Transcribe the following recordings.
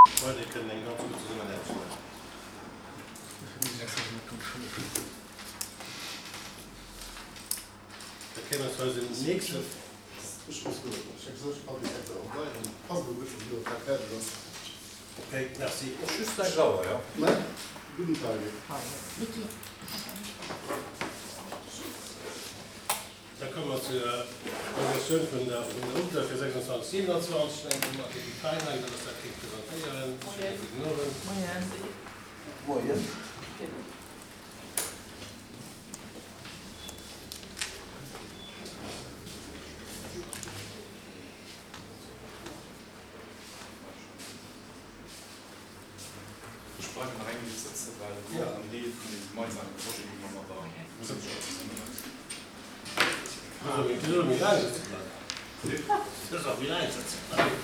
Freunde kënnen eng ganz gutt Zesummenaarbecht maachen. Da kéime mer zu eisem nächste. Ok, merci. Just 6 Auer, jo? Da komme mer zu der Presentatioun vun der UGDA fir 26, 27. Ech mengen, d'Mathilde Feiner, iwwer dass dat kéint presentéieren. Schéine gudden Owend. Moien. Ech bleiwen nach eng Minutt sëtzen, well et ass och en Deel vun deem gemeinsame Projet, dee mer mat der Museksschoul zesummen hunn. Du soll méi laang sëtze bleiwen. Du soll méi laang sëtze bleiwen.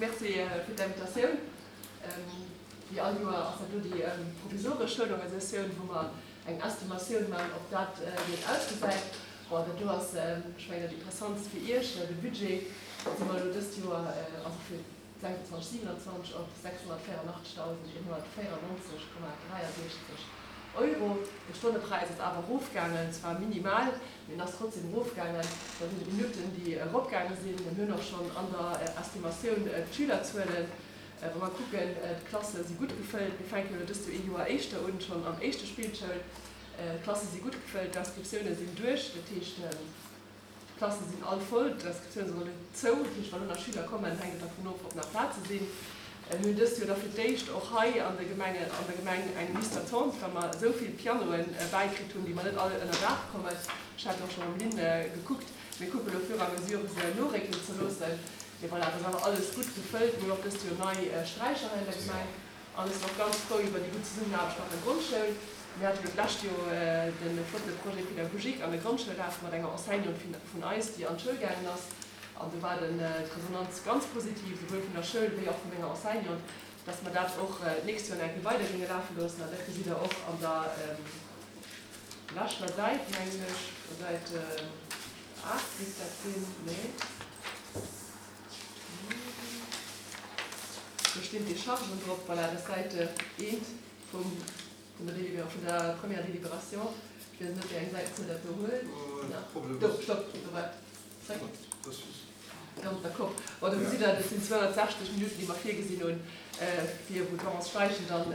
Merci fir d'Invitatioun. Wéi all Joer ass dat do déi provisoresch Schoulorganisatioun, wou mer eng Estimatioun maachen, op dat, wéi et ausgesäit. Bon, dat do ass, ech mengen, dat Interessantst fir Iech, de Budget. Do si mer elo dëst Joer, also fir 26, 27, op 684.194,63 Euro. De Stonnepräis ass awer erofgaangen, zwar minimal, mee en ass trotzdem erofgaangen. Dat sinn d'Minutten, déi eropgaange sinn. Mir hunn och schonn an der Estimatioun d'Schülerzuelen. Wa mer kucken, d'Klasse si gutt gefëllt. Mir fänken elo dëst Joer ee Joer éischter un, schonn am éischte Spillschoul. D'Klasse si gutt gefëllt, d'Inscriptioune sinn duerch, dat heescht, d'Klasse sinn all voll, d'Inscriptioune sinn och net zou. Dat heescht, wa lo nach Schüler kommen, hänkt et dervun of, ob nach Plaze sinn. Mir hunn dëst Joer da fir d'éischt och hei an der Gemenge, an der Gemeng eng Liste d'attente, well mer esou vill Pianoe bäikritt hunn, déi mer net all ënner Daach kommen. Ech hat och scho mam Lynn gekuckt. Mir kucke lo fur et à mesure se noréckelen ze loossen. Mee voilà, et ass awer alles gutt gefëllt. Mir hunn och dëst Joer nei Sträicher hei an der Gemeng. An ech sinn och ganz frou iwwer déi gutt Zesummenaarbecht mat der Grondschoul. Mir hate jo d'lescht Joer de flotte Projet pédagogique an der Grondschoul lafen mat enger Enseignante vun eis, déi an d'Schoul gaangen ass. An do war den d'Resonanz ganz positiv, souwuel vun der Schoul wéi och vu menger Enseignante, dass mer dat och d'nächst Joer nach eng Kéier weider géinge lafe loossen. An dat gesitt Der och an der leschter Säit, mengen ech, Säit 8 misst dat sinn, nee. Do stinn d'Déchargen drop. Voilà, dat ass Säit eent vum, vun der Délibéra, vun der première Délibération. Ech weess net, wéi eng Säitenzuel dat do huet. Do, stopp, do war et. Zréck. Ganz d'accord. Bon, do gesitt Der, dat sinn 260 Minutten, déi mer virgesinn hunn, fir wou d'Laurence Steichen dann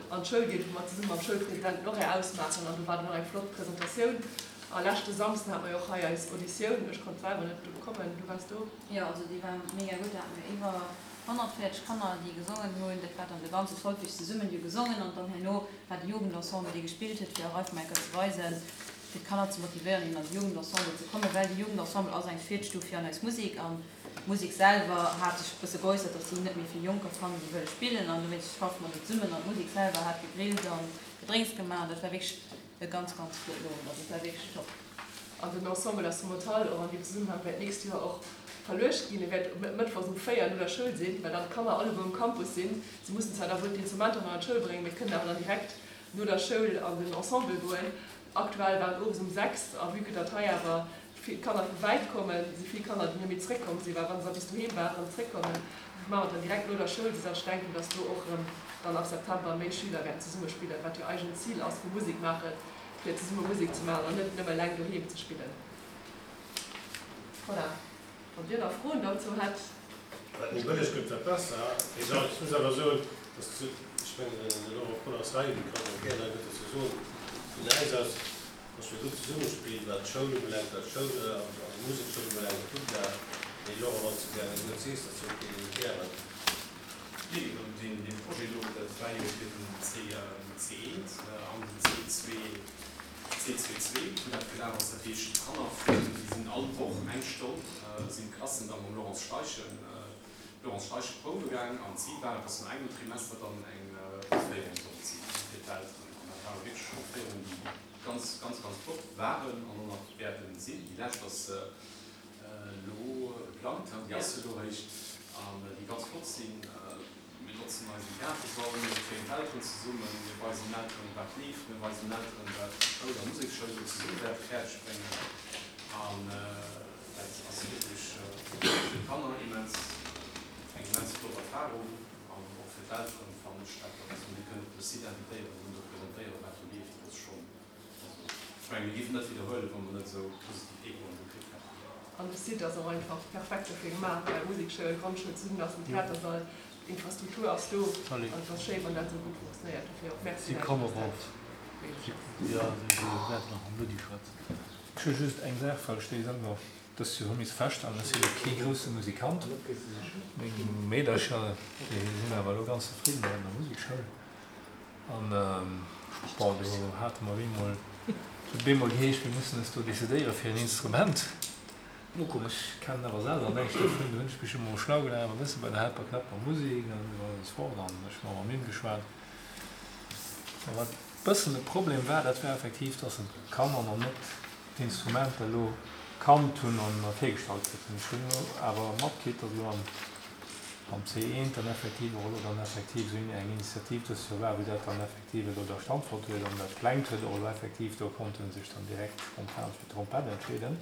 an d'Schoul geet, wou mer zesumme mam Schoulpresident den Horaire ausmaachen. An do war dann och eng flott Presentatioun. A leschte Samsden hate mer jo och hei eis Auditioun. Ech konnt selwer net do kommen. Du waars do? Jo, also déi war mega gutt. Do hate mir iwwer 140 Kanner, déi gesongen hunn. Dat war dann de ganze Solfège zesummen. Déi hu gesongen an dann herno war de Jugendensemble, dee gespillt huet, fir och einfach mol eng Kéier ze weisen, fir d'Kanner ze motivéieren, eben an de Jugendensemble ze kommen, well de Jugendensemble ass eng Virstuf fir an eis Musek. An d'Musek selwer hat sech e bësse geäussert, dass si net méi vill Jonker fannen, déi wëlle spillen. An dowéinst schaffe mer do zesummen. An d'Musek selwer hat gegrillt an Gedrénks gemaach. An dat war wierklech e ganz, ganz flotten Owend. Also et war wierklech top. An den Ensemble Instrumental och an deem Zesummenhang wäert d'nächst Joer och verluecht ginn. E wäert mëttwochs um 4 no der Schoul sinn, well dann d'Kanner alleguer um Campus sinn. Si mussen zwar da wuel d'Instrumenter nach an d'Schoul bréngen, mee kënnen awer dann direkt no der Schoul an den Ensemble goen. Aktuell war et owes um 6 a vue que datt hei awer vill Kanner vu wäit kommen, si vill Kanner, déi net méi zréckkomm sinn, well wa se da bis doheem waren, zréckkommen, maache mer et dann direkt no der Schoul, soudatt ech denken, datt do och erëm dann ab September méi Schüler wäerten zesumme spillen, wat jo eigent Zil ass vu Musek maachen, fir zesumme Musek ze maachen an net nëmme eleng doheem ze spillen. Voilà, wann Dir nach Froen dozou hätt. Wat méi bëlleg gëtt, wat besser. Mee ech muss awer soen, dass, ech mengen, den Laurent Kohn ass hei, dee kann och gären hei eppes dozou soen, vun äis aus, dass mir gutt zesummespill, wat d'Schoul ubelaangt, wat d'Schoul an d'Musekschoul ubelaangt, d'UGDA. Mee Laurent, wann s de gären e Wuert sees dozou, gären. Nee, dee Projet do, dat war jo fir den C1 an den C2, C2 wou dat gelaf ass. Dat heescht, d'Kanner vun, déi sinn all Woch eng Stonn, sinn d'Klassen da mam Laurence Steichen, Laurence Steichen prouwe gaang. An d'Zil war et, dass no engem Trimester dann eng Opféierung sollt si fir d'Elteren. An dat ware wierklech Opféierungen, déi ganz, ganz, ganz flott waren an och nach wäerte sinn. Déi lescht ass elo geplangt, déi ass elo eréischt, an déi ganz flott sinn. Mir notzen eisen Theatersall, mir kréien d'Elteren zesummen, mir weisen den Elteren, wat leeft, mir weisen den Elteren, wat Schoul a Museksschoul elo zesumme wäerte fäerdeg bréngen. An dat ass wierklech. Erfarung an och fir d'Elteren fannen ech dat, datt mir kënnen op de Site invitéieren an do presentéieren, wat do leeft, dat ass schonn, also ech mengen, mir géifen net widderhuelen, wa mer net esou positiv Echoen do kritt hätten. An de Site ass och einfach perfekt dofir gemaach, well Musekschoul, Grondschoul zesummen ass, den Theatersall, d'Infrastruktur ass do an et ass schéi, wann dat esou gutt funktionéiert. Dofir och Merci Si komme erof. Jo, si wäerten nach mam Ludi schwätzen. Ech hu just eng Saach, well ech déi selwer dëst Joer hu miss feststellen, Ech si elo kee grousse Musikant. Meng Meedercher, déi sinn awer elo ganz zefridden an der Musekschoul. An bon, do hate mer bemol, et huet bemol geheescht, mir mussen eis do decidéiere fir en Instrument. Ech kennen awer selwer näischt dovun. Do hunn ech mech emol schlau gemaach e bësse bei der Helperknapp Musik an esou weider an esou fort an ech hu mam Mim geschwat. A wat e bëssen e Problem war, dat war effektiv, dass en d'Kanner nach net d'Instrumenter elo kannt hunn an virgestallt kritt hunn. Ech hunn elo awer matkritt, dass elo am am C1 dann effektiv och elo dann effektiv esou eng Initiativ dëst Joer war, wou dat dann effektiv elo da stattfonnt huet an dat Klengt huet och elo effektiv, do konnte sech dann direkt spontan fir d'Trompett entscheeden.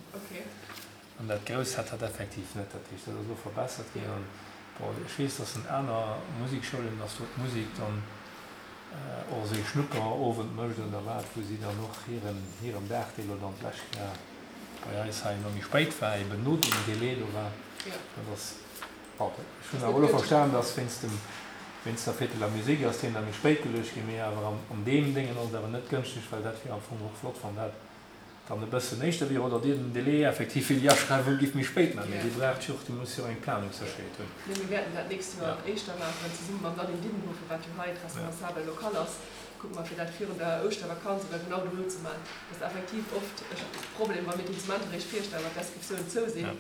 An dat Grousst hat dat effektiv net. Dat heescht, dat ass elo verbessert ginn. An bon, ech weess, dass an aner Musikschoulen, dass do d'Musek dann och esou ee Schnupperowend mécht oder wat, wou si dann och hiren, hiren Dag, dee elo dann d'lescht Joer bei eis hei elo méi spéit war, eben no deem Délai do war, dat ass, bon, ech hunn awer elo verstan, dass wéinst dem, wéinst der Fête de la Musique ass deen da méi spéit geluecht ginn, mee awer an deem Déngen ass et awer net gënschteg, well dat wier am Fong och flott, wann dat dann e bëssen éischter wier oder Dir den Délai effektiv fir déi Aschreiwung giff méi spéit maachen, mee Dir braucht jo och, Dir musst jo och eng Planungssécherheet hunn. Nee, mir wäerten dat d'nächst Joer éischter maachen, zesumme mam Nadine Diedenhofen, wat jo hei d'Responsabel locale ass, kucke mer fir dat virun der Ouschtervakanz oder genau dono ze maachen. Dat ass effektiv oft e Problem, wa mir d'Instrumenter eréischt virstellen, wann d'Inscriptiounen zou sinn.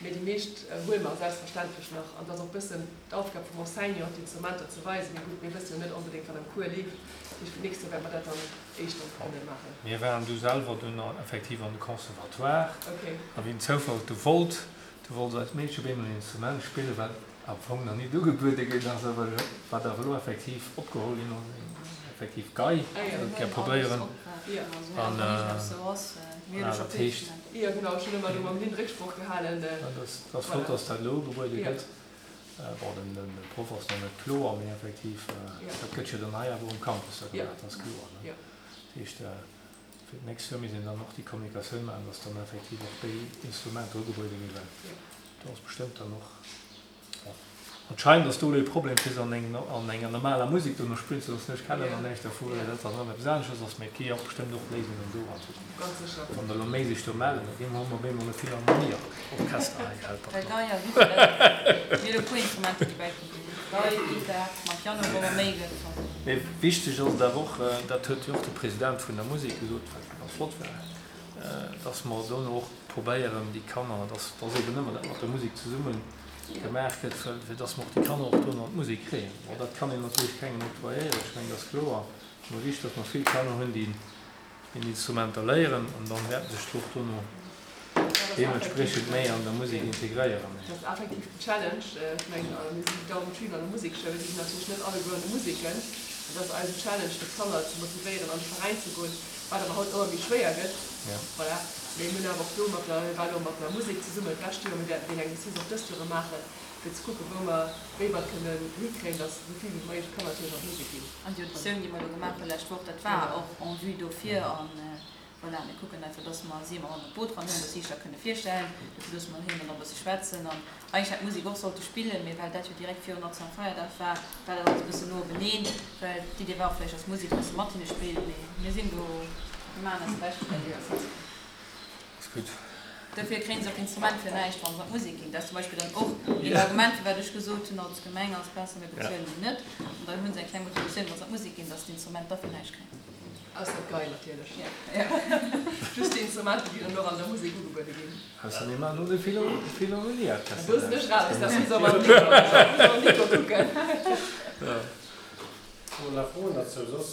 Mee déi meescht huele mer selbstverständlech nach. An et ass och e bëssen d'Aufgab vum Enseignant, d'Instrumenter ze weisen. Mee gutt, mir wësse jo net onbedéngt, wat am Cours leeft. Dat heescht, fir d'nächst Joer wäerte mer dat dann éischter kënne maachen. Mir waren du selwer dunn effektiv an de Conservatoire. A wéi den Zoufall et du wollt, du wollt eist Meedche op eemol en Instrument spillen, wat am Fong nach nit ugebuede ginn ass, awer wat awer elo effektiv opgeholl ginn ass, effektiv Gei, dat gär probéieren. An dat heescht. Jo genau, ech hunn ëmmer do mam Lynn Récksproch gehalen. Dat ass flott, dass dat elo ugebuede gëtt. Bon, de Proff ass nach net kloer, mee effektiv, dat gëtt jo dann hei awer um Campus da gemaach, dat ass kloer, ne? Dat heescht, fir d'nächst Joer misst een dann och déi Kommunikatioun maachen, dass dann effektiv och déi Instrumenter ugebuede ginn, well do ass bestëmmt dann och, bon, anscheinend ass do elo e Problem, fir se an enger normaler Musek dono spillen ze loossen. Ech kennen nach näischt dervu, well dat dann erëm eppes aneschters ass, mee et gi jo och bestëmmt och Léisungen do an Zukunft. Ganz sécher. Wann der elo méi sech do mellen, da gi mer op eemol e Philharmonieorchester hei, Well Gei a Gittar, mir hunn e puer Instrumenter, déi bäikomm sinn. Gei, Gittar, mam Piano, wou mer méi gëtt. Mee wichteg ass et awer och, dat huet jo och de President vun der Musek gesot, wat ganz flott war, dass mer dono och probéieren, déi Kanner, dass dass eeben ëmmer dat mat der Musek zesumme gemaach gëtt, fir dass mer och déi Kanner och dono an d'Musek kréien. Bon, dat kann een natierlech kengem octroyéieren, ech mengen, dat ass kloer. Mee wichteg, dass mer vill Kanner hunn, déi een Instrumenter léieren an dann wäerten sech d'Lot dono deementspriechend méi an der Musek integréieren. Dat ass effektiv den Challenge. Ech mengen, mir sinn 1.000 Schüler an der Musekschoul, si sinn natierlech net alleguer an de Museken. Dat ass eisen Challenge, fir d'Kanner ze motivéieren, an de Veräin ze goen, wat awer haut ëmmer méi schwéier gëtt. Voilà. Mee mir hunn awer och do mat der, mir waren och mat der Musek zesummen d'lescht Joer, mir wäerten deen Exercice och dëst Joer erëm maachen, fir ze kucken, wou mer, wéi mer et kënnen hikréien, datt esou vill wéi méiglech Kanner natierlech an d'Musek ginn. An déi Auditioun, déi mer elo gemaach hu lescht Woch, dat war och en vue dofir. An voilà, mir kucken einfach, dass mer si ëmmer mat an d'Boot ran hunn, dass si sech dat kënne virstellen. Dofir loosse mer hinnen dann och e bësse schwätzen. An eigentlech hätt d'Musek och sollte spillen, mee well dat jo direkt virun Nationalfeierdag war, war dat alles e bëssen no obeneen. Well d'Idee war och vläicht, dass d'Musek e bësse mat hinne spillt. Mee mir sinn do, mir maachen eist Bescht fir dat Exercice. Ass gutt. Dofir kréien se och d'Instrument fir näischt, wa se an d'Musek ginn. Dat ass zum Beispill dann och een Argument, firwat ech gesot hunn, als Gemeng ass besser, mir bezuelen déi net. An dann hu se eng kleng Motivatioun, wa se an d'Musek ginn, dass se d'Instrument da fir näischt kréien. Ausser d'Gei natierlech. Just déi Instrumenter, déi dann och an der Musek ugebuede ginn. Ausser mir maachen elo de Philharmonieorchester. Do sinn ech raus, dat muss awer den Nico kucken. Hu mer nach Froen derzou soss?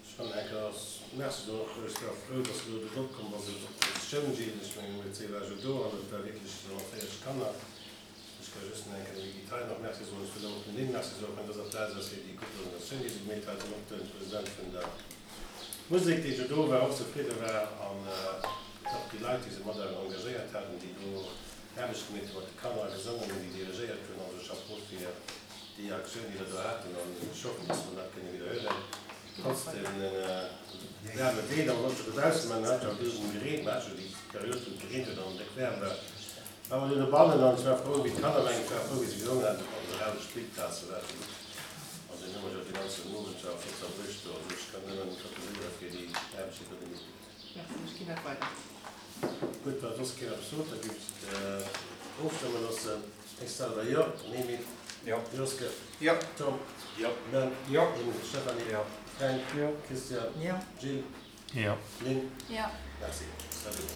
Ech fannen enker ass Merci soen och. Ech war frou, dass elo de Vott komm ass iwwer d'Propositioun ginn. Ech mengen, um EC war ech jo do an et war wierklech 140 Kanner. Ech ka just nach eng Kéier dem Guy Thein och Merci soen. Ech wëll och dem Lynn Merci soen, och an dëser Plaz ass, fir déi gutt Organisatioun, déi se gemeet hat, an och dem President vun der Musek, dee jo do war, och zefridde war an och déi Leit, déi se mat engagéiert haten, déi do. Aarbecht gemeet hunn, mat de Kanner gesongen hunn, déi dirigéiert hunn. Also Chapeau fir déi Aktioun, déi der do haten an ech hoffen, dass mer dat kënne widderhuelen, trotz dem waarme Wieder. An och dobaussen, mä et hat jo e bëssen gereent, mer hate jo déi Period, wou et gereent huet an déck waarm war, war mer dunn dobannen an ech war frou, wéi d'Kanner, mengen ech war frou, wéi se gesongen haten, op onser aler Spillplaz, do war et jo gutt. An dunn hu mer jo dee ganzen Owend jo flott verbruecht do. Also ech kann nëmmen gratuléiere fir déi Aarbecht, déi der gemeet hutt. Merci, ech ginn dat weider. Gutt, wa soss keen eppes sot, da géif ech ofstëmme loossen. Ech selwer jo. Mimi? Jo. Joske? Jo. Tom? Jo. Ben? Jo. Stéphanie? Jo. Fränk? Jo. Christian? Jo. Jill? Jo. Lynn? Jo. Merci.